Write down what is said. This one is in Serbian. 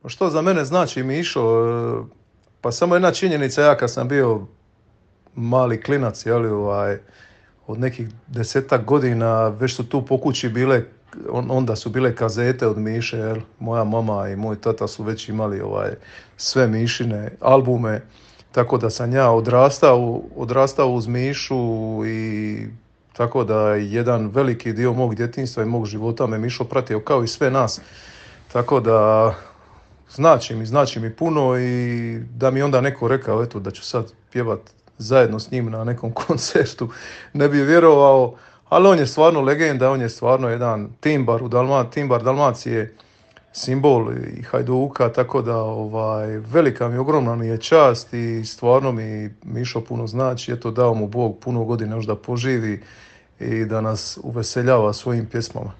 Što za mene znači Mišo? Pa samo jedna činjenica, ja kad sam bio mali klinac, od nekih 10-tak godina, već su tu po kući bile, onda su bile kazete od Miše, jel? Moja mama i moj tata su već imali sve Mišine albume, tako da sam ja odrastao uz Mišu i tako da jedan veliki dio mog djetinjstva i mog života me Mišo pratio kao i sve nas. Tako da znači mi puno i da mi onda neko rekao eto da ću sad pjevat zajedno s njim na nekom koncertu, ne bi vjerovao, ali on je stvarno legenda, on je stvarno jedan timbar Dalmacije, simbol i Hajduka, tako da velika mi, ogromna mi je čast i stvarno mi Mišo puno znači, eto dao mu Bog puno godina još da poživi i da nas uveseljava svojim pjesmama.